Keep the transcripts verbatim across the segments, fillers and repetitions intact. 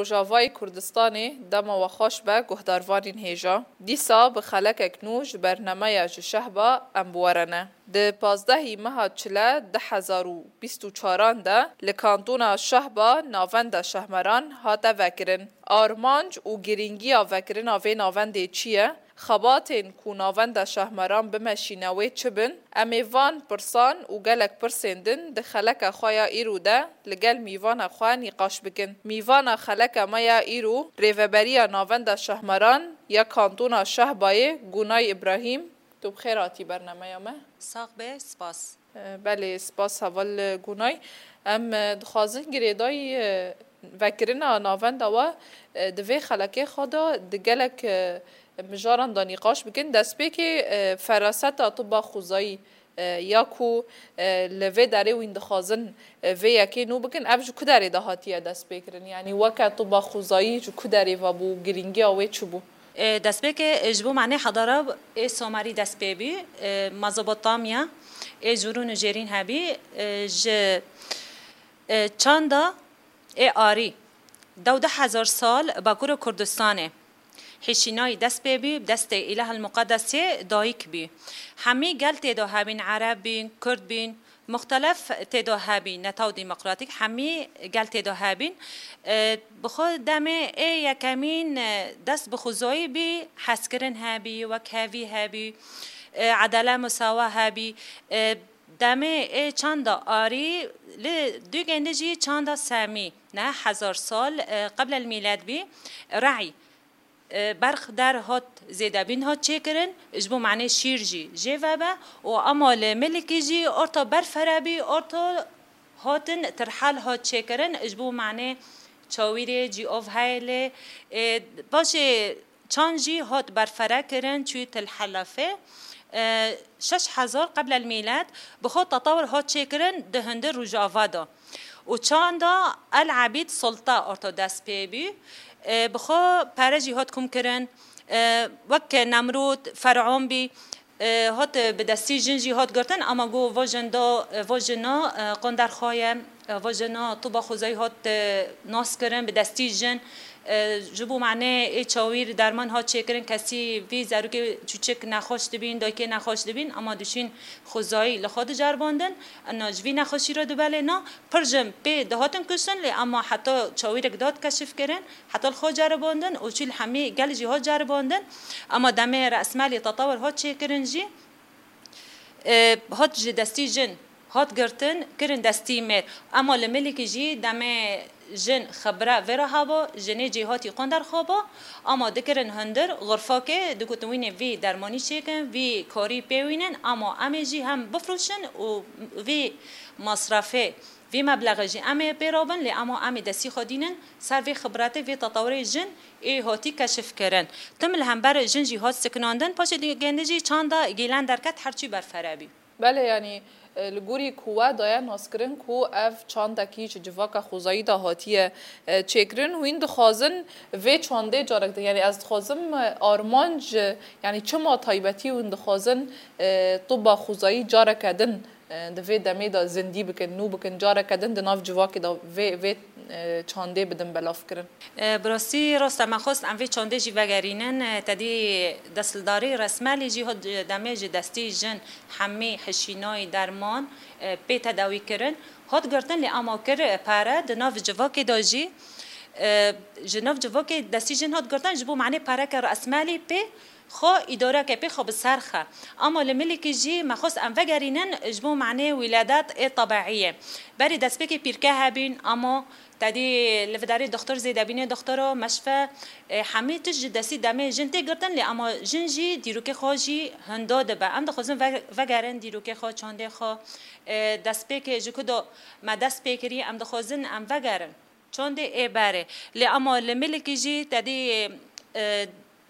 Rojavayê Kurdistanê, dema we xweş be guhdarvanên hêja. Dîsa bi xelekek nû ji bernameya Ji Şehba em bi we re ne. Di pazdehî meha Çile du hezar û bîst û çaran de li kantona Şehba navenda Şehmeran hate vekirin. Armanc û girîngiya vekirina vê navendê çi ye? Xebatên ku navenda Şehmeran bimeşîne wê çi bin? Em ê van pirsan û gelek pirsên din di xeleka xwe ya îro de li gel mîvana xwe nîqaş bikin. Mîvana xeleka me ya îro, Rêveberiya Navenda Şehmeran ya Kantona Şehbayê, Gunay Îbrahîm, tu bi xêr hatî bernameya me. Sax be, spas. Belê, spas heval Gunay. Em, e, dixwazin girêdayî, e, vekirina navenda we, e, di vê xelekê xwe de di gelek, e, mijaran de nîqaş bikin. Destpêkê, e, feraseta tiba xwezayî, e, ya ku, e, li vê derê wîn dixwazin, e, vê yekê nû bikin, ev ji ku derê de hatiye destpêkirin? Yanî weke tiba xwezayî ji ku derê ve bû, girîngiya wê çi bû? E, destpêkê, e, ji bo manê hedara ê Somerî dest pê bî, e, Mezopotamya, ê Jûrûn û Jêrîn hebî, e, ji, e, çanda ê Arî, dew du hezar sal Bakurê Kurdistanê, hişînayî dest pê bî, bi destê Îlahil Muqedesê dayik bî. Hemî gel tê de hebîn, Ereb bîn, Kurd bîn, muxtelef tê de hebî, netaw demokratîk, hemî gel tê de hebîn. E, bi xwe demê ê yekemîn, e, dest bi xwezayî bî, hezkirin hebî, wekhevî hebî, e, edale misawa hebî. E, demê ê çanda Arî li dûgên de jî çanda Semî, neh hezar sal, e, qeblel mîlet bî, Re'y. E, berx der hat zêdebîn hat çêkirin, ji bo manê şîr jî jê vebe û ema li milikî jî orta berfere bî, orta hatin tirhel hat çêkirin, ji bo manê çawîrê cî ov heye lê, e, paşê çand jî hat berfere kirin, çû tilhelafê. E, şeş hezar qeblel mîlet bi xwe tetewir hat çêkirin di hundir Rojava de. Û çanda El Ebîd Sulta orto dest pê bî. E, bi xwe pere jî hat kom kirin. E, wek Nemrûd, Fer'on bî, e, hat bi destî jin jî hat girtin, ama got, va jin da, va jina, e, qonder xwe ye, e, va jina tiba xwezayî hat, e, nas kirin bi destî jin. E, ji bo manê ê çawîr derman hat çêkirin, kesî vî zarokê çûçik nexweş dibîn, dayikê nexweş dibîn, ama dişîn xwezayî li xwe diceribandin. Ena ji vî nexweşî re dibelê na, pir jin pê dihatin kuştin, lê ema heta çawîrek dihat keşif kirin, heta li xwe ceribandin û çû li hemî gel jî hat ceribandin. Ema demê resmelî tetewir hat çêkirin jî, e, hat ji destî jin hat girtin, kirin destî mêr. Ema li milikî jî demê jin xibre vê re heba, jinê cêhatî qonder xaba, ema dikirin hundir, xurfakê, digotin wînê vî dermanî çêkin, vî karî pê wînin, ema em ê jî hem bifroşin û vî masrafê, vî meblexê jî em ê pê rabin, lê ema em ê destî xwe dînin ser vê xibretê, vê tetewirê jin ê hatî keşif kirin. Tim li hember jin jî hat sikinandin, paşê di gêndê jî çanda gîlen derket, her çî berfere bî. Belê, yanî, e, li gorî ku we daye naskirin ku ev çandekî ji civaka xwezayî de hatiye, e, çêkirin, hûn dixwazin vê çandê carek din, yanî ez dixwazim, e, armanc, e, yanî çima taybetî hûn dixwazin, e, tiba xwezayî careke din, e, di vê demê de zindî bikin, nû bikin, careke din di nav civakê de vê, vê, e, çandê bidin belavkirin? E, bi rastî rast e, me xwest em vê çandê jî vegerînin. E, te dî desthidarî resmelî jî hat demê ji destî jin hemî hişînayî derman, e, pê tedawî kirin. Hat girtin lê ema kir, e, pere di nav civakê de jî, e, ji nav civakê destî jin hat girtin ji bo manê pereke resmelî pê xwe îdareke pê xwe bi ser xe. Ama li milikî jî me xwest em vegerînin ji bo manê wîledet ê tebeî ye. Berî destpêkê pîrke hebîn, ama Tedî li vidarê doxtor zêde bîne, doxtoro, meşfe, e, hemî tişt ji destî demê jin tê girtin, lê ama jin jî dîrokê xwe jî hindo dibe. Em dixwazin ve-, vegerin dîrokê xwe, çandê xwe, e, destpêkê ji ku do me dest pê kirî, em dixwazin em vegerin çandê ê berê. Lê ama li milikî jî tedî, e,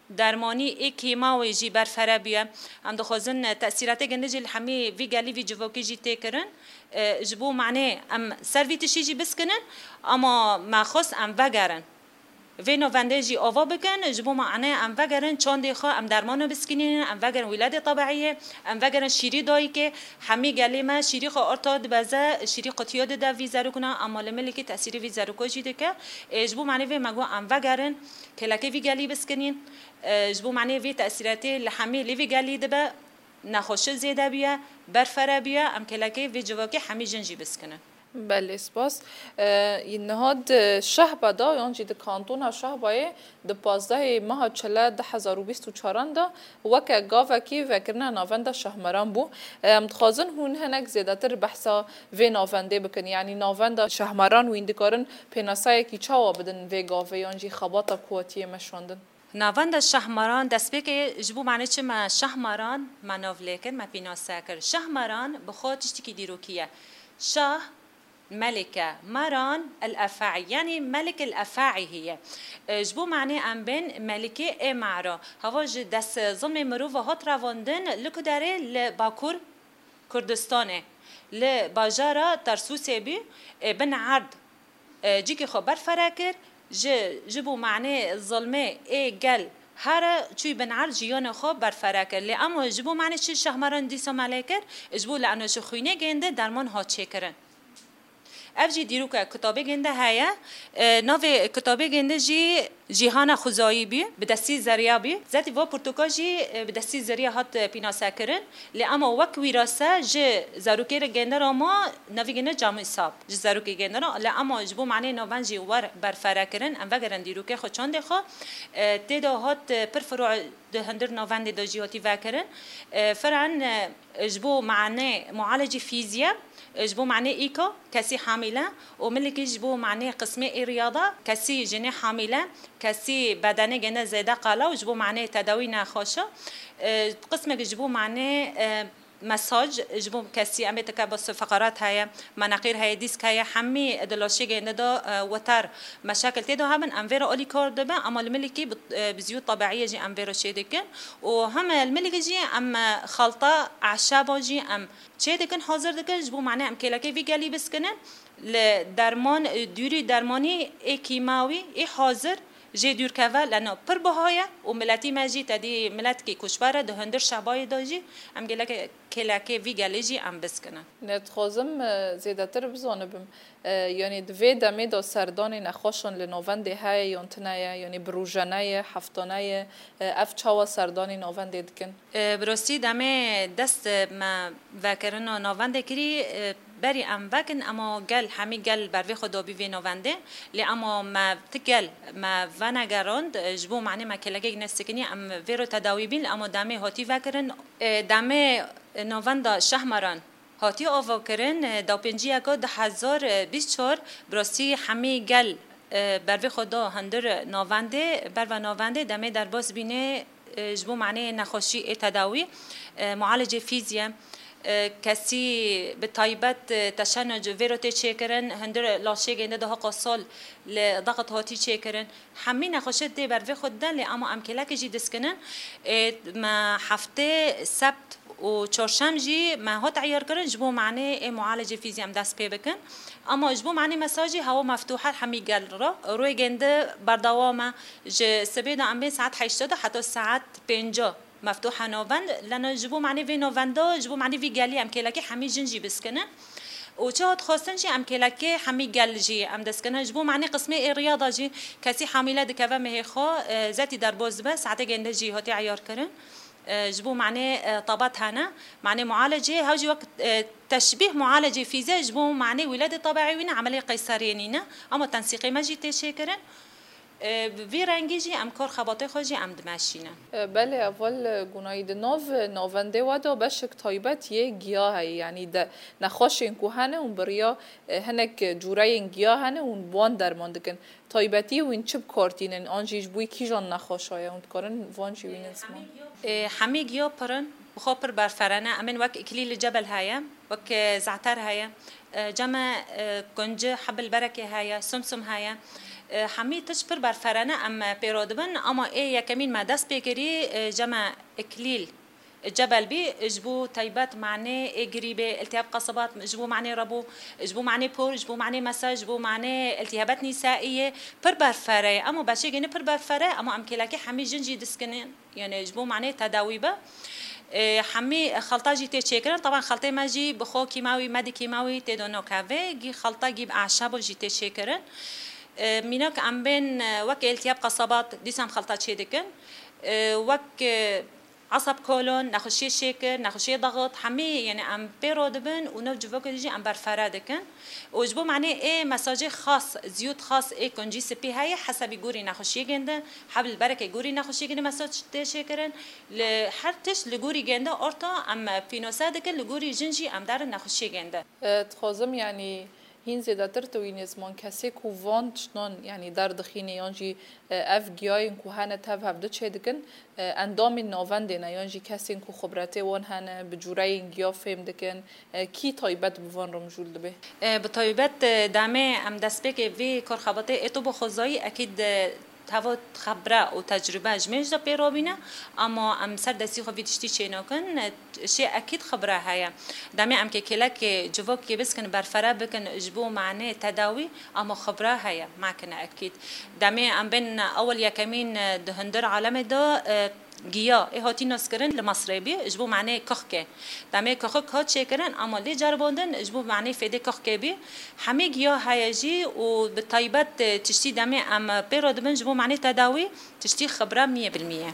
dermanî ê kîmawê jî berfere bûye. Em dixwazin, e, tesîratê gindi jî li hemî vî gelî, vî civokî jî tê kirin. E, ji bo manê em ser vî tiştî jî biskinin, ama me xwest em vegerin. Vê navendê jî ava bikin, ji bo me ane em vegerin çandê xwe, em dermana biskînînin, em vegerin wîledê tebeiyê, em vegerin şîrî dayikê. Hemî gelê me şîrî xwe orta dibeze, şîrî qutiya dide vî zerokna, ama li milikî tesîrê vî zeroka jî dike. Ê, ji bo manê vê me got em vegerin, kêlekê vî gelî biskînîn. Ê, ji bo manê vê tesîretê li hemî lê vî gelî dibe, nexweşi zêde bûye, berfere bûye, em kêlekê vê civakê hemî jin jî biskinin. Belê, spas. Ee, niha di Şehba de, yan jî di kantona Şehbayê, di pazdehê meha Çile du hezar û bîst û çaran de weke gavekî vekirina navenda Şahmaran bû. Ee, em dixwazin hûn hinek zêdetir behsa vê navendê bikin. Yanî navenda Şahmaran, wîn dikarin pênaseyekî çawa bidin vê gavê, yan jî xebata ku hatiye meşandin? Navenda Şahmaran, destpêkê ji bo manê çi me Şahmaran me nav lê kir, me pînase kir. Şahmaran bi xwe tiştekî dîrokî ye. Şah, melike, maran, el efaî, yanî melik el efaî heye. E, ji bo manê em bên melikê ê mara. Hava ji dest zilmê mirova hat revandin, li ku derê, li Bakur Kurdistanê, li bajara Tersûsê bû, e, bin erd, e, cîkê xwe berfere kir, ji, ji bo manê zilmê ê gel here çûy bin erd jiyana xwe berfere kir. Lê ema ji bo manê çi Şahmaran dîsa me lê kir? Ji bo li eno ji xwînê gênde derman hat çêkirin. Ev jî dîroke kitabê gênde heye. E, navê kitabê gênde jî Cîhana Xuzayî bî, bi destî zeriya bî. Zetî va pirtûka jî, e, bi destî zeriya hat, e, pînase kirin. Lê ema wek wîrase ji zarokê re gênde ra ma navê gênde Camî Sab. Ji zarokê gênde ra. Lê ema ji bo manê navend jî wer berfere kirin. Em vegerin dîrokê xwe, çandê xwe. E, tê de hat, e, pir firû di hundir navendê de jî hatî vekirin. E, firan, e, ji bo manê mualecî fîzî ye, e, ji bo manê îka, kesî hamîle û milikî ji bo manê qismê ê riyada, kesî jinê hamîle, kesî bedenê gene zêde qala û ji bo manê tedawî nexweşa. E, qismekî ji bo manê, e, mesaj, ji bo kesî em ê teke bas feqarat heye, meneqîr heye, dîsk heye, hemî di laşê gênde de, e, weter meşakil tê de hebin, em vê re alîkar dibin, ema li milikî bi, e, bi ziyû tebeiyê jî em vê re çê dikin. Û hem li milikî jî em, e, xelta eşaba jî em çê dikin, hazir dikin, ji bo manê em kêlekê vî gelî biskinin. Li derman, e, dûrî dermanî ê kîmawî, ê hazir, jê dûr keve, leno pir biha ye û miletî me jî tedî miletkî koçber e, di hundir şebayê de jî em gelek kêlekê vî gelê jî em biskinin. Ne dixwazim, e, zêdetir bizanibim. E, yanî di vê demê de serdanê nexweşan li navendê heye yan tune ye? Yanî bi rojane ye, heftane ye? E, ev çawa serdanê navendê dikin? E, bi rastî demê dest me vekirina navendê kirî, e, berî em vekin, ema gel, hemî gel ber vê xwe dabî vê navendê. Lê ema me ti gel me venegerand, e, ji bo manê me kêlekek nesikinî, em vê re tedawî bîn, lê ema demê hatî vekirin. E, demê navenda Şahmaran hatî avakirin, e, dapênciyeka du hezar bîst çar, bi rastî hemî gel, e, ber vê xwe da hundir navendê, berva navendê demê derbas bînê, e, ji bo manê nexweşî ê tedawî, e, mualecê fîzî ye. E, kesî bi taybet, e, teşenuc vê re tê çêkirin, hundir laşê gênde daha qasal li daqet hatî çêkirin. Hemî nexweşê tê ber vê xwe dide, lê ema em kêlekê jî diskinin. Ê, me heftê, sebt û çarşem jî me hat eyar kirin, ji bo manê ê mualecê fîzî em dest pê bikin. Ama ji bo manê mesajî hewa meftûh e hemî gel re. Rûyê gênde berdewam e. Ji sibê de em bên saet heştê de heta saet pênca meftûh e navend. Leno ji bo manê vê navenda, ji bo manê vî gelî em kêlekê hemî jin jî biskinin. Û çi hat xwestin jî em kêlekê hemî gel jî em dest kine. Ji bo manê qismê ê riyada jî kesî hamîle dikeve mehê xwe, e, zetî derbas dibe, saetê gênde jî hatî eyar kirin. E, ji bo manê, e, tabat hene, manê mualecê, hew jî wek, e, teşbîh mualecê fîze ji bo manê wîledê tebeî wî ne, emelê qeyseriyê nîne. Ama tensîqê me jî tê çêkirin. E, bi vî rengî jî em kar xebatê xwe jî em dimeşînin. E, belê, heval, e, Gunayî, di nav, e, navendê we de beşek taybet yê giya heye, yanî de nexweşên ku hene hûn bi riya, e, hinek cûreyên giya hene hûn bi wan derman dikin. Taybetî wîn çi bi kar tînin? An jî ji bo kîjan nexweşa ye? Hûn dikarin van jî wînin ziman? E, hemî giya pir in, bi xwe pir berfere ne. Em ên wek îklîl li cebel heye. Wek, e, ze'ter heye, e, cem e, e, kunci, hebil berekê heye, sumsum heye. E, hemî tişt pir berfere ne em, e, pê re dibin, ama ê yekemîn me dest pê kirî, e, cem e, îklîl, Cebel bî, ji bo taybet manê ê girîbê, iltihab qesabat, ji bo manê rebû, ji bo manê por, ji bo manê mesa, ji bo manê iltihabat nîsaiyê, pir berfere ye. Ema beşê gêne pir berfere, ema em kêlekê hemî jin jî diskinin. Yani ji bo manê tedawî be. E, hemî xelta jî tê çêkirin. Taban xeltê me jî bi xwe kîmawî, medî kîmawî tê de nokeve. Gî xelta gî bi eşabo jî tê çêkirin. E, mînak em bên, e, wek iltihab qesabat, dîsa em xelta çê dikin. E, wek, e, Esab kolon, nexweşiyê şêkir, nexweşiyê daxit, hemî, yani em pê re dibin û nav civokê de jî em berfere dikin. Û ji bo manê ê mesajê xas, ziyûd xas ê kuncî spî heye, hesabî gorî nexweşiyê gênde, heb li berekê gorî nexweşiyê gênde mesaj tê şêkirin. Li her tişt li gorî gênde orta em pînose dikin, li gorî jin jî em derin nexweşiyê gênde. E, dixwazim, yanî, hîn zêdetir tu wî nêzman kesê ku van tiştan, yanî, derdixîne yan jî, e, ev giyayên ku hene tev hevdu çêdikin, e, endamên navendê ne yan jî kesên ku xibretê wan hene, bi cûreyên giya fêm dikin, e, kî taybet bi van re mijûl dibe? E, bi taybet, e, demê em destpêkê vê karxebatê ê tiba xwezayî ekîd, e, teva xibre û tecrûbe ji mêj de pê re bîne, ama em ser destî xwe vî tiştî çênakin. Şê ekîd xibre heye. Demê em kê kêlekê civokê biskin, berfere bikin ji bo manê tedawî, ama xibre heye, makine ekîd. Demê em bên ewil yekemîn di hundir alemê de, e, giya ê hatî naskirin li Mesrê bî ji bo manê kuxkê. Demê kuxik hat çêkirin, ama lê ceribandin ji bo manê fêdê kuxkê bî. Hemî giya heye jî û bi taybet, e, tiştî demê em pê re dibin ji bo manê tedawî, tiştî xibre miyê bil miyê.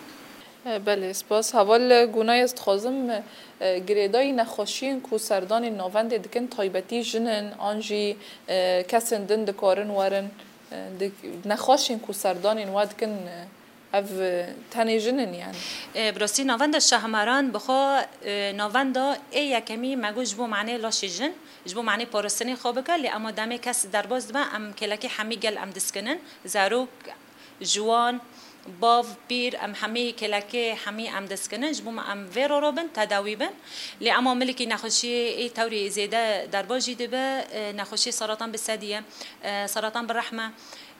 E, belê, spas. Heval Gunay, ez dixwazim, e, girêdayî nexweşiyên ku serdanên navendê dikin, taybetî jin in, an jî, e, kesên din dikarin werin, e, di, nexweşên ku serdanên we dikin, e, ev, e, tenê jin in, yani? E, bi rastî navenda Şahmaran bi xwe, e, navenda ê yekemî me got ji bo manê laşê jin, ji bo manê parastinê xwe bike, lê ema demê kes derbas dibe, em kêlekê hemî gel em diskinin, zarok, ciwan, bav, pîr, em hemî kêlekê hemî em diskinin, ji bo me em vê re robin, tedawî bin. Lê ema milikî nexweşiyê ê tewrî zêde derbas jî dibe, e, nexweşiyê seratan bi sedî ye, e, seratan bi rehme,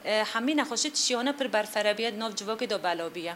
e, hemî nexweşî tiştiyane pir berfere bûye, di nav civakê de belav bûye.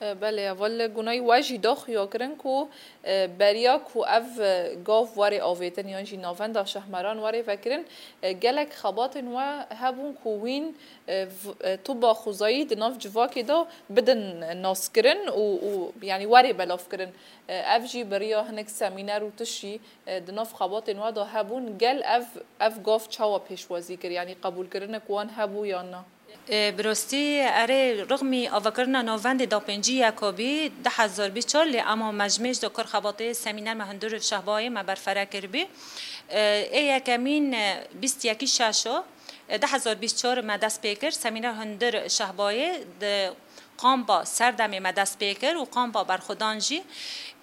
E, belê, heval Gunay, we jî da xuya kirin ku, e, beriya ku ev, e, gav were avêtin yan jî navenda Şahmaran were vekirin, e, gelek xebatên we hebûn ku wîn, e, v-, e, tiba xwezayî di nav civakê de bidin naskirin û, û, yanî, were belavkirin. E, ev jî bi riya hinek semîner û tişt jî, e, di nav xebatên we de hebûn. Gel ev, ev gav çawa pêşwazî kir? Yanî, qebûlkirinek wan hebû yan na? E, bi rastî, erê, rixmî avakirina navendê da pêncî yeka bî, du hezar bîst çar, lê ema me ji mêj de kar xebatê semîner me hundir Şehbayê me berfere kiribî. E, ê yekemîn, e, bîst yekî şeşo, e, du hezar bîst çar me dest pê kir, semîner hundir Şehbayê di kampa Serdemê me dest pê kir û kampa berxwedan jî.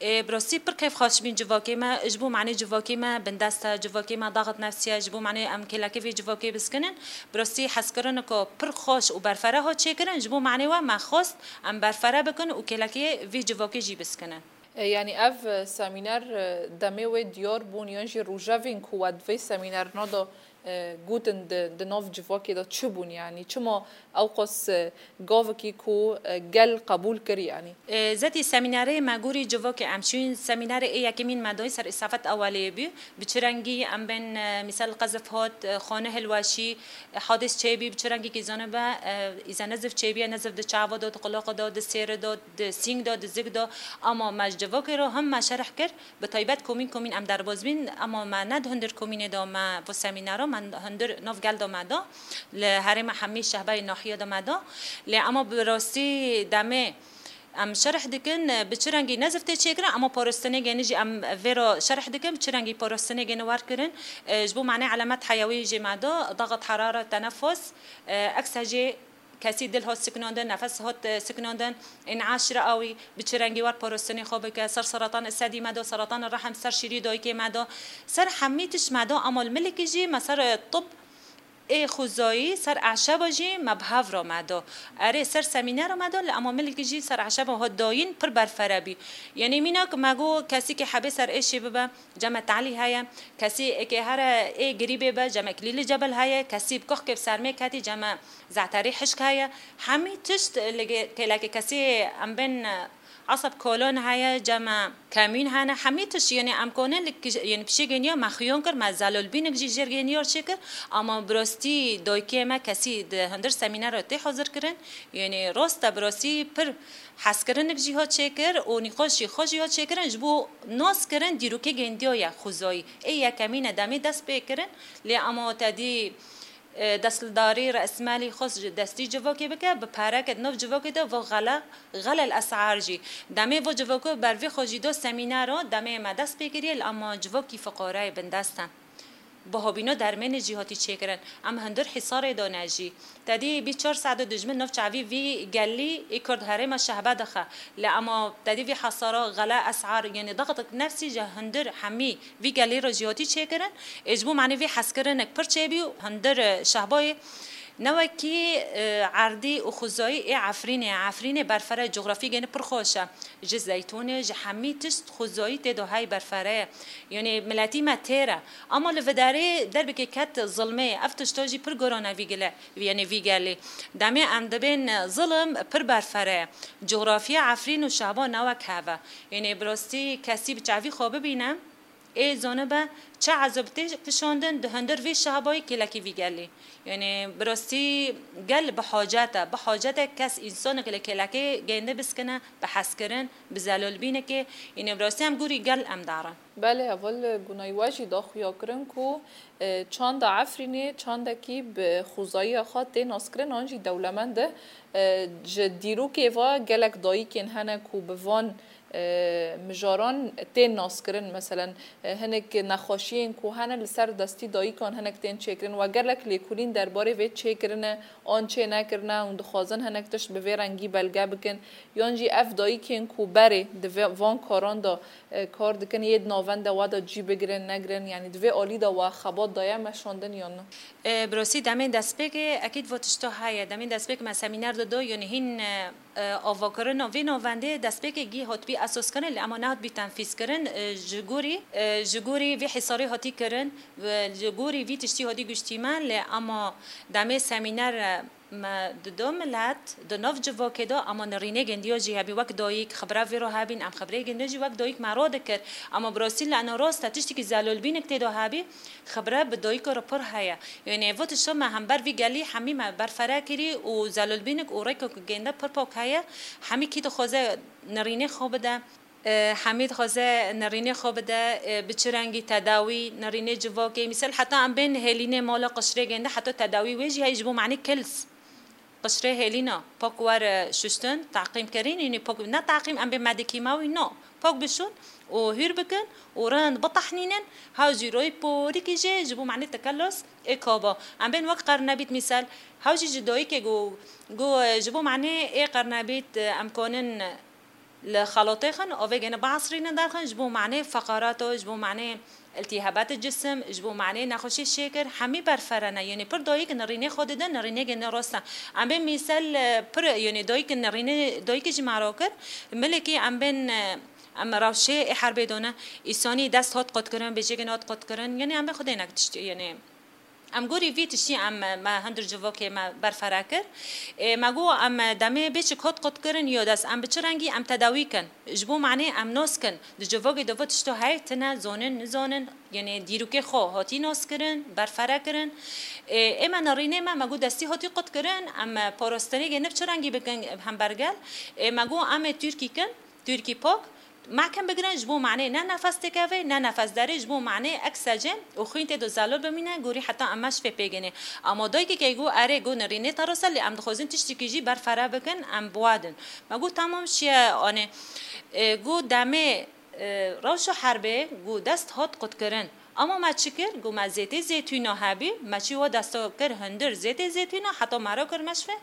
Ê, bi rastî pir keyfxweş bîn civakê me, ji bo manê civakê me bindest e, civakê me daxit nefsî ye, ji bo manê em kêlekê vê civakê biskinin. Bi rastî hezkirineke pir xweş û berfere hat çêkirin, ji bo manê we me xwest em berfere bikin û kêlekê vê civakê jî biskinin. E, yanî ev, e, semîner, e, demê wê diyar bûn yan jî rojevên ku we di vê semînerna de, e, gotin di, di nav civakê de çi bûn, yanî çima ewqas, e, gavekî ku, e, gel qebûl kir, yanî? E, zetî semînerê me gorî civakê em çûn, semînerê ê yekemîn me dayî ser îsafet ewelê bû. Bi çi rengî em bên, e, mîsal qezif hat, e, xane hilweşî, e, hadis çêbî, bi çi rengî kî zane be, e, îze nezif çêbî, nezif di çava de, di qulaqa de, di sêre de, di sîng de, di zik de. Ama me ji civakê re him me şerh kir. Bi taybet komîn komîn em derbas bîn, ema me ne di hundir komînê de me bo semînera, me hundir nav gel de me da, li herêma hemî şehbayê nahiye de me da. Lê ema bi rastî demê em şerh dikin, bi çi rengî nezif tê çêkirin, ema parastinê gêni jî em vê re şerh dikin, bi çi rengî parastinê gêni wer kirin. E, ji bo manê elemet heyewî jê me da, daxit herare, tenefus, e, ekse jê Kesî dil hat siknandin, nefes hat, e, siknandin, în'aş riawî, bi çi rengî wer parastinê xwe bike, ser seratan sedî me do, seratan rehim, ser şîrî dayikê me do, ser hemî tişt me do, ama li milikî jî me ser, e, tib ê xwezayî, ser eşeba jî me bi hev re me do. Erê, ser semînera me do, li ama milikî jî ser eşeba hat dayîn pir berfere bî. Yanî mînak me got, kesî ke hebê ser êşê bibe, ceme talî heye, kesî êkê here ê girîbê be, ceme klîlî cebel heye, kesî bi kuxkê bi sermê ketî, ceme ze'terî hişk heye. Hemî tişt li ge-, kêlekê kesî em bên, e, Eseb kolon heye, cema kemîn hene, hemî tişt, yanî em konin li kij-, yanî pişê geniya me xiyon kir, me zelolbînik jî jêr geniyar çêkir, ama bi rastî dayikê me kesî di hundir semînera tê hazir kirin, yanî rast e bi rastî pir hezkirinik jî hat çêkir û nîqaş jî xwe jî hat çêkirin ji bo nas kirin dîrokê gendiya ye xwezayî. Ê yekemîn e demê dest pê kirin, lê ama te dî e, destdarî resmelî xwest ji destî civakê bike, bi pereke di nav civakê de va xele, xele el esar jî. Demê va civako ber vê xwe jî do semînero, demê me dest pê kiriye, li ama civakî fiqareyê bindest e. Bihabîno dermênê jî hatî çêkirin. Em hundir Hîsarê de ne jî. Tedî bî çar saet dijmin nav çavî vî gelî ê Kurd herêma şehbe dixe. Li ama tedî vî hesara xele esar, yanî daxtik nefsî ji hundir hemî vî gelî re jî hatî çêkirin. Ê ji bo manê vê hezkirinek pir çêbî û hundir, e, şehbayê ne wekî, e, erdî û xwezayî ê Efrînê. Efrînê berfere, cografî gene pir xweş e. Ji zeytûnê, ji hemî tişt xwezayî tê de hey berfere ye. Yanî miletî me têr e. Ama li vidarê derbekê ket zilmê. Ev tişta jî pir gorane vî gile, yanî vî gelê. Demê em dibên zilim pir berfere ye. Cografya Efrîn û şehba ne wek hev e. Yanî bi rastî kesî bi çavî xwe bibîne. Ê zanibe çi ezab tê kişandin di hundir vê şabayî kêlekî vî gelî. Yanî bi rastî gel bi hacet e. Bi hacet e kes însanek li kêlekê gênde biskine, bi hezkirin, bi zelolbînekê. Yanî bi rastî em gorî gel em darin. Belê, heval Gunay we jî da xuya kirin ku, e, çanda Efrînê çandekî bi xwezayîya xwe tê naskirin, an jî dewlemend e. E, ji dîrokê ve gelek dayikên hene ku bi van e, mijaran tên naskirin. Meselen, e, hinek nexweşiyên ku hene li ser destî dayikan hinek tên çêkirin. We gelek lêkolîn derbarê vê çêkirine an çê nekirine hûn dixwazin hinek tişt bi vê rengî belge bikin. Yan jî ev dayikên ku berê di vê, van karan de, e, kar dikin, yê di navenda we de cî bigirin, negirin, yanî di vê alî de we xebat daye meşandin yan na? E, bi rastî demên destpêkê ekîd va tişta heye. Demên destpêk me semîner dido, yanî hîn, e, e, avakirina vê navendê destpêkekî hatibî esaskirin, lê ema nehatibî tenfîzkirin, e, ji gorî, e, ji gorî vê hîsarê hatî kirin, ve ji gorî vî tiştî hatî guştîmen, lê ema demê semîner, e, me di do milet, di nav civakê de, ema nirînê gendiya jî hebî wek dayik, xibra vê re hebîn, em xibrê gendiya jî wek dayik me radikir. Ema bi rastî li ena rast e, tiştekî zelolbînik tê de hebî, xibre bi dayika re pir heye. Yanî evo tişta me hember vî gelî hemî me berfere kirî û zelolbînik û rêkek gênde pir pak heye. Hemî kî dixwaze nirînê xwe bide, e, hemî dixwaze nirînê xwe bide, e, bi çi rengî tedawî, nirînê civakê. Mîsal heta em bên hêlînê mala qişrê gênde heta tedawî wê jî heye ji bo manî kils. Qişrê hêlîna pak were şuştin, teqîm kirin, yanî pak ne teqîm, em bê medikîmawî, no. Pak bişûn û hûr bikin û rind bitehnînin, hew jî royê porikî jê ji bo manê tekelos ê kaba. Em bên wek qernebît mîsal, hew jî ji dayikê go, go, ji bo manê ê qernebît em konin li xelatê xin, avê gene biesrînin derxin, ji bo manê feqarato, ji bo manê iltîhabatê cisim, ji bo manê nexweşî şêkir, hemî berfere ne. Yanî pir dayik nirînê xwe didin, nirînê gene rast e. Em bê mîsel, e, pir, yanî dayik nirînê, dayikê jî me re kir, milekî em bên, e, em rewşê ê herbê done, îsanî dest hat qutkirin, bêjê gene hat qutkirin, yanî em bên xwedê nek tiştî, yanî Em gorî vî tiştî em, me hundir civokê me berfere kir. Ê, me got em demê bê çi kot qut kirin yo dest, em bi çi rengî em tedawî kin? Ji bo manê em nos kin. Di civokê de vê tişto heye, tine, zonin, nizonin, yanî dîrokê xwe hatî nos kirin, berfere kirin. Ê, ê me nerînê me, me got destî hatî qut kirin, em parastinê gê ne bi çi rengî bikin hembergel? Ê, me got em ê Tirkî kin, Tirkî pak, Mehkem bigirin, ji bo manê ne nefes têkevê, ne nefes derê, ji bo manê ek secê û xwîn tê de zelal bimîne, gorî heta em meşfê pê gênê. Ama dayikê ke got, erê, got, nirînê te rast e, lê em dixwazin tiştekî jî berfere bikin, em biwadin. Me got, tamam, şiye anê. E, got, demê, e, rewşa herbê, got, dest hat qutkirin. Ama me çi kir? Got, me zêtê zêtûna hebî, me çi wa desta kir hundir zêtê zêtûna, heta me re kir meşfê.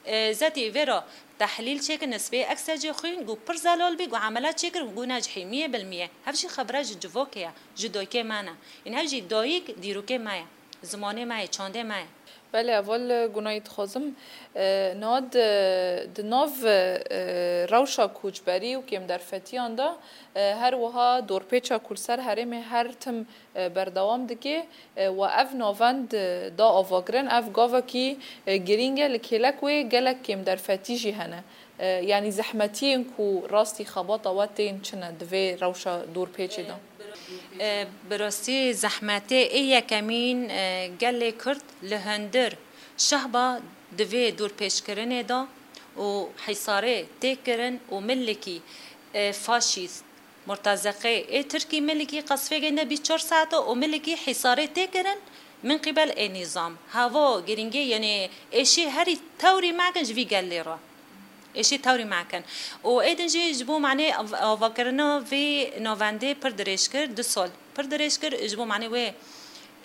E, zetî vê re Tehlîl çêkin, nisbê eksecê xwîn, got pir zelal bî, got emela çêkir, got ne ji hêmiyê bilmiyê. Hev jî xebra ji civokê ye, ji dayikê me ne. Ên hev jî dayik dîrokê me ye, zimanê me ye, çandê me ye. Belê, heval Gunay, dixwazim, e, niha di, di nav, e, rewşa koçberî û kêmderfetiyan de, e, her wiha dorpêça ku li ser herêmê her tim e, berdewam dike, e, we ev navend, e, da avakirin. Ev gavekî, e, girîng e, li kêlek wê gelek kêmderfetî jî hene. E, yanî zehmetiyên ku rastî xebata we tên çi ne di vê rewşa dorpêçê de? E, bi rastî zehmetê ê yekemîn, e, gelê Kurd li hundir şehba di vê dorpêçkirinê de û hîsarê tê kirin û milikî, e, faşîst, murtezeqê ê Tirkî milikî qesfê gêne bîst çar saet û milikî hîsarê tê kirin min qîbel ê nîzam. Havo girîngê, yanî êşî herî tewrî mekin ji vî gelê re. Êşî tewrî mekin. Û ê din jî ji bo manê av-, avakirina vê navendê pir dirêj kir, du sal pir dirêj kir, ji bo manê wê,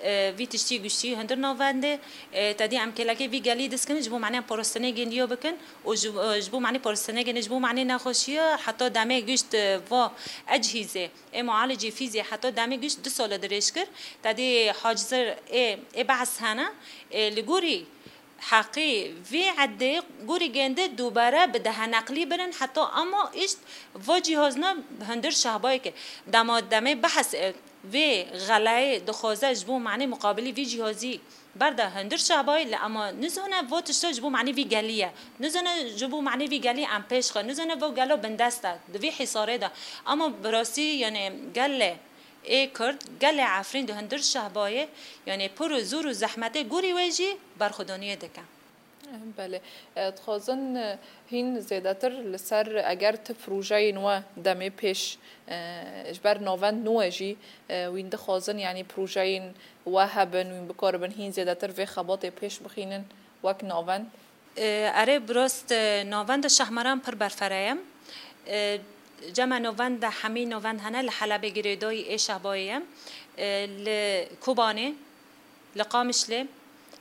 e, vî tiştî giştî hundir navendê, e, tedî em kêlekê vî gelî diskinin, ji bo manê em parastinê gêndiya bikin û ji, e, ji bo manê parastinê gênê, ji bo manê nexweşiya heta demê gişt, e, va ecihîzê, ê mualicî fîzê heta demê gişt du sal dirêj kir. Tedî hacizir ê, ê behs hene, e, li gorî heqî vî edê gorî gêndê dubare bi dehe neqlî birin heta ama îşt va cîhazna hundir şehbayê ke dema demê behs, e, vê xelayê dixwaze ji bo manê muqabilî vî cîhazî berda hundir şehbayê li ama nizane va tişta ji bo manê vî gelî ye. Nizane ji bo manê vî gelî em pêş xe. Nizane va gelo bindest e. Di vî hîsarê de. Ama bi rastî, yanî gelê ê Kurd, gelê Efrîn di hundir şehbayê, yanî pir û zor û zehmetê gorî wê jî berxwedaniyê dike. Belê. E, dixwazin, e, hîn zêdetir li ser eger ti projeyên we demê pêş, e, ji ber navend nû we jî, e, wîn dixwazin, yanî projeyên we hebin, wîn bikaribin hîn zêdetir vê xebatê pêş bixînin wek navend? E, erê, bi rast, e, navenda Şahmaran pir berfere ye. E, cema navenda hemî navend hene li Helebê girêdayî ê şehbayê ye. E, li Kobanê, li Qamişlê,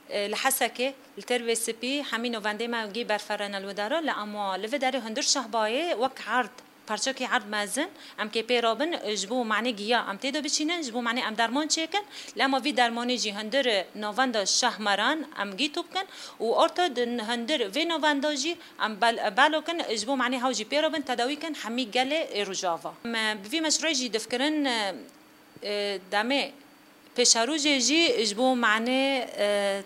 e, li Hesekê, li Têrvê Spî hemî navendê me gî berfere ne li wê dera, li ama li vê derê hundir şehbayê wek erd, parçekî erd mezin, em kê pê rabin, e, ji bo manê giya em tê de biçînin, ji bo manê em derman çêkin, li ama vî dermanê jî hundir, e, navenda Şahmaran em gî tû bikin û orta di hundir vê navenda jî em bel-, belo kin, ji bo manê hew jî pê rabin, tedawî kin hemî gelê ê Rojava. Em, e, bi vî meşrûyê jî difikirin, e, e, demê Pêşerojê jî ji bo manê, e,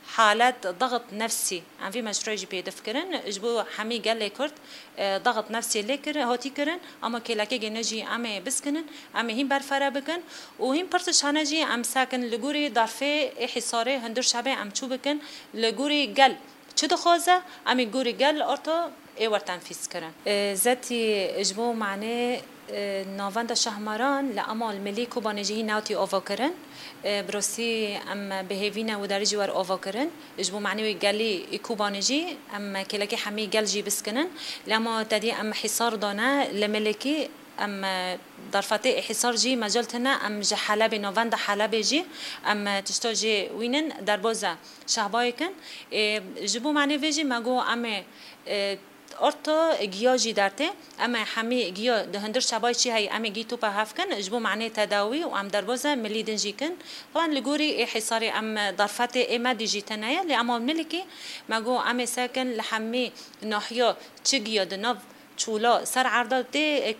halet daxit nefsî em vî meşrûyê jî pê difikirin. Ji bo hemî gelê Kurd, e, daxit nefsî lê kir, hatî kirin. Ama kêlekê gêne jî em ê biskinin, em ê hîn berfere bikin û hîn pirsiz hene jî em sekin li gorî darfê ê hîsarê hundir şebê em çû bikin li gorî gel. Çi dixwaze? Em ê gorî gel orta ê wer tenfîz kirin. E, zetî ji bo manê, e, navenda Şahmaran li Emal Milî Kobanê jî hîn newtî ava kirin. E, bi rastî em bi hêvî ne wê derê jî wer ava kirin. Ji bo manê wê gelî ê Kobanê jî em kêlekê hemî gel jî biskinin. Li Emal tedî em hîsar dane li Milîkî. Em, e, darfetê ê hîsar jî mecel tine, em ji Helebê, navenda Helebê jî em, e, tişta jê wînin derboza şehbayê kin. Ê, ji bo manê vê jî me got em ê, e, orto giya jî dertê. Em ê hemî giya di hundir şehbayê çi heyî em ê gî topa hev kin. Ji bo manê tedawî û em derboza milî din jî kin. Wan li gorî ê hîsarê em, e, darfetê ê me dî jî tine ye. Lê ema milikî me got em ê sekin li hemî nahiya çi giya di nav çûla ser erda tê,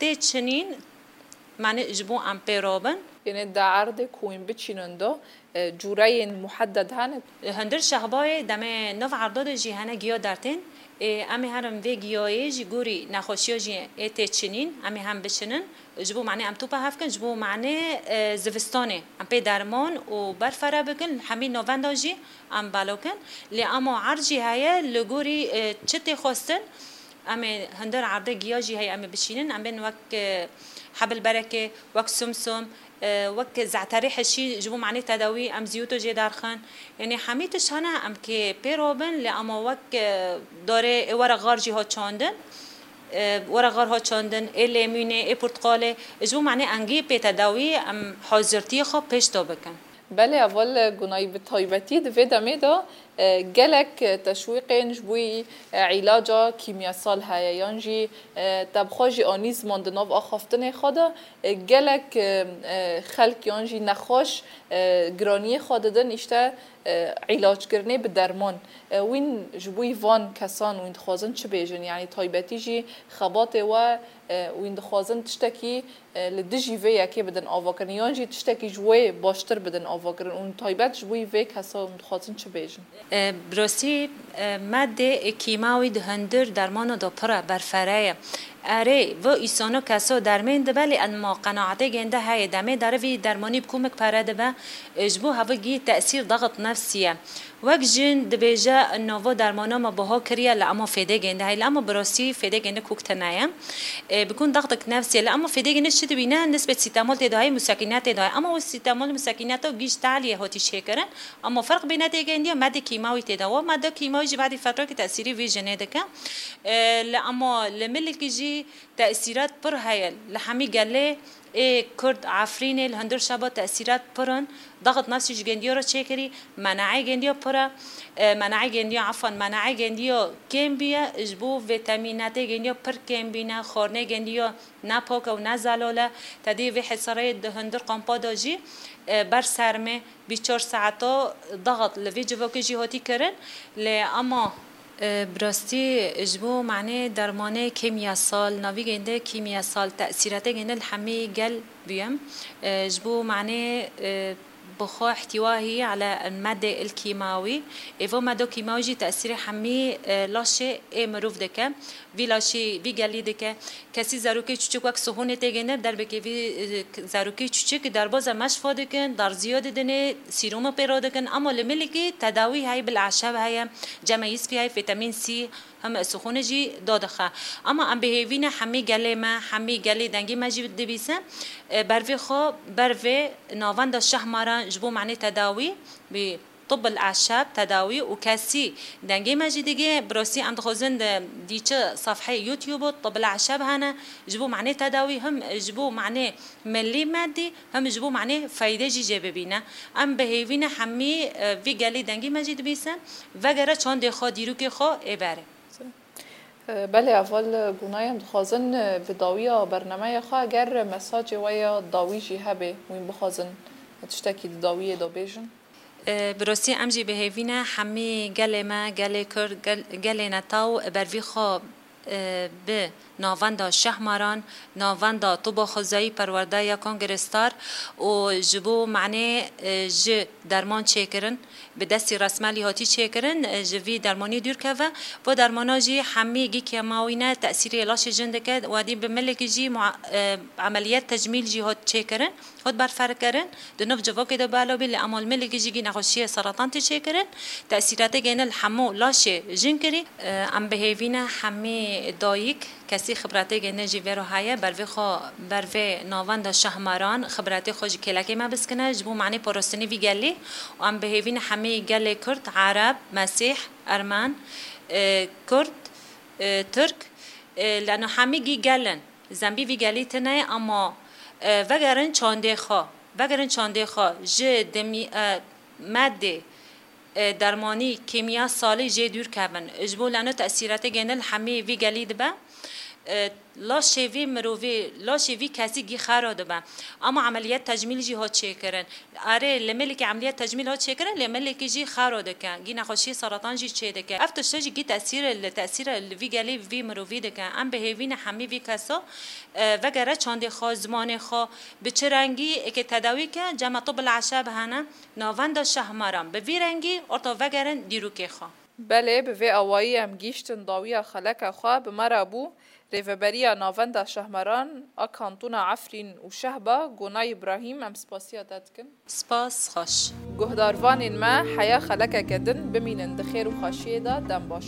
tê çinîn, manê ji bo em pê rabin. Yanî di erdê ku hûn biçînin de, e, cûreyên muhedded hene? Hundir şehbayê demê nav erda de jî hene giya dertên. Ê, em ê herin vê giyayê ji gorî nexweşiya jî ê tê çinîn, em ê hem biçinin. Ji bo manê em topa hev kin, ji bo manê, e, zivistanê em pê derman û berfere bikin, hemî navenda jî em belo kin. Lê ema erd jî heye li gorî, e, çi tê xwestin, em ê hundir erdê giya jî heye em ê biçînin. Em bên wek, e, hebil berekê, wek sumsum, e, wek ze'terê hişî ji bo manê tedawî em zîyoto jê derxin. Yanî hemî tişt hene em kê pê robin, lê ema wek, e, darê ê were xar jî ha çandin. E, were xar ha çandin, ê lêmûnê, ê portiqalê, ji bo manê engî pê tedawî em hazirtiyê xwe pêş de bikin. Belê, heval Gunay, bi taybetî di vê demê de, e, gelek teşwîqên ji bo, e, îlaca kîmyasal heye, yan jî, e, te bi xwe jî anî ziman di nav axaftinê xwe de, e, gelek, e, e, xelk yan jî nexweş, e, giraniyê xwe didin, îşte, E, îlackirinê bi derman. E, wîn ji bo van kesan wîn dixwazin çi bêjin? Yanî taybetî jî xebatê we, e, wîn dixwazin tiştekî, e, li dijî vê yekê bidin avakirin, yan jî tiştekî ji wê baştir bidin avakirin û taybet ji bo vê kesa wîn dixwazin çi bêjin? E, bi rastî, e, madê kîmawî di hundir dermana de pir e, berfere ye. Erê, vi îsano keso dermên dibe, lê ema qenaetê gênde heye. Demê dere vî dermanî bi komik pere dibe, e, ji bo hevigî tesîr daxit nefsî ye. Wek jin dibêje, nava dermana me biha kiriye, li ema fêdê gênde heye. Li ema bi rastî fêdê gênde kok tine ye. E, bi kun daxtik nefsî ye. Li ema fêdê gênde çi dibîne? Nisbet sîtemol tê de heye, musekîne tê de heye. Ema o sîtemol musekîne te gîj tehliyê hatî çêkirin. Ema ferq bîne tê gêndiya, madê kîmawî tê de. Wa made kîmawî jî badî fetrokî tesîrî vî jinê dike. E, li ema li milikî jî tesîrat pir heye. Li hemî gelê ê Kurd, Efrînê, li hundir şeba tesîrat pir in. Daxit nefsî ji gendiya re çêkirî, menaê gendiya pir e. E, menaê gendiya, efan, menaê gendiya kêm bûye, ji bo vîtamînatê gendiya pir kêm bîne, xwarinê gendiya ne pak e û ne zelal e. Te dî vê hesareyê di hundir kampa de jî, e, ber sermê bîst çar saeta daxit li vê civakê jî hatî kirin. Lê ema E, bi rastî ji bo manê dermanê kîmyasal, navî gênde kîmyasal, tesîratê gênde li hemî gel bûye. E, ji bo manê, e, bi xwe ihtiwa hî ele medê il kîmawî. Ê vo medo kîmawî jî tesîrê hemî, e, laşê ê mirov dike. Vî laşî, vî gelî dike. Kesî zarokê çûçik wek sihonê tê gêne, derbekê vî, e, zarokê çûçik darboza meşfa dikin, darziya didinê, sîroma pê re dikin. Ama li milikî tedawî heye, bil eşeb heye, cemeyî spî heye, vîtamîn C, hem sixûne jî dadixe. Ama em bi hêvî ne hemî gelê me, hemî gelê dengê me jî dibîse, e, bervê xwe, bervê navenda Şehmaran ji bo manê tedawî bi Tibil Eşeb tedawî û kesî dengê me jî digê, bi rastî em dixwazin di dîçi sefheyê YouTube Tibil Eşeb hene, ji bo manê tedawî hem ji bo manê milî me dî hem ji bo manê feyde jî jê bibîne. Em bi hêvî ne hemî, e, vî gelî dengê me jî dibîsin, vegere çandê xwe, dîrokê xwe ê berê. E, belê, heval Gunay, em dixwazin, e, bi dawiya bernameya xwe, eger mesajê we ya dawî jî hebe, wîn bixwazin tiştekî di dawiyê de bêjin. E, bi rastî em jî bi hêvî ne hemî gelê me, gelê Kurd, gel-, gelê netew bervî xwe, e, bi navenda Şehmaran, navenda Toba Xwezayî Perwerdeya Kongre Star û ji bo manê, e, ji derman çêkirin, bi destî resmelî hatî çêkirin, e, ji vî dermanî dûr keve. Vo dermana jî hemî gî kêmawî ne, tesîrê laşê jin dike. Wedî bi milekî jî mua-, e, emeliyet tecmîl jî hat çêkirin. Hat berferkirin, di nov civakê de bela bî, li Emal Milikî jî gî nexweşiyê seratan tê çêkirin. Tesîratê gêne li hemû laşê jin kirî. Em bi hêvî ne hemî dayik, kesî xibretê gêne jî vêro heye, bervê xwe, bervê navenda Şehmaran, xibretê xwe ji kêlekê me biskine, ji bo manê parastinê vî gelî. Û em bi hêvî ne hemî gelê Kurd, Ereb, Mesîh, Ermen, e, Kurd, e, Tirk, e, leno hemî gî gelin. Zembî vî gelî tune ye, ama, e, vegerin çandê xwe. Vegerin çandê xwe. Ji demî-, e, medê, e, dermanî, kîmya salî jê dûr kevin. Ji bo leno tesîretê gêne li hemî vî gelî dibe. E, laşê vî mirovî, laşê vî kesî gî xero dibe. Ama emeliyet tecmîl jî hat çêkirin. Erê, li Milîkî emeliyet tecmîl hat çêkirin, lê Milîkî jî xero dike. Gî nexweşiyê seratan jî çê dike. Ev tişte jî gî tesîr li, tesîr li vî gelî, vî mirovî dike. Em bi hêvî ne hemî vî kesa, e, vegere çandê xwe, zimanê xwe, bi çi rengî eke tedawî ke, cema Tibil Eşeb hene, navenda Şehmaran. Bi vî rengî orta vegerin dîrokê xwe. Belê, bi vê awayî em gihîştin dawiya xeleka xwe. Bi me re bû rêveberiya Navenda Şehmaran a Kantona Efrîn û Şehba, Gonay Îbrahîm, em spasiya te dikin. Spas, xweş. Guhdarvanên me, heya xelekeke din, bimînin di xêr û xweşiyê de, dem baş.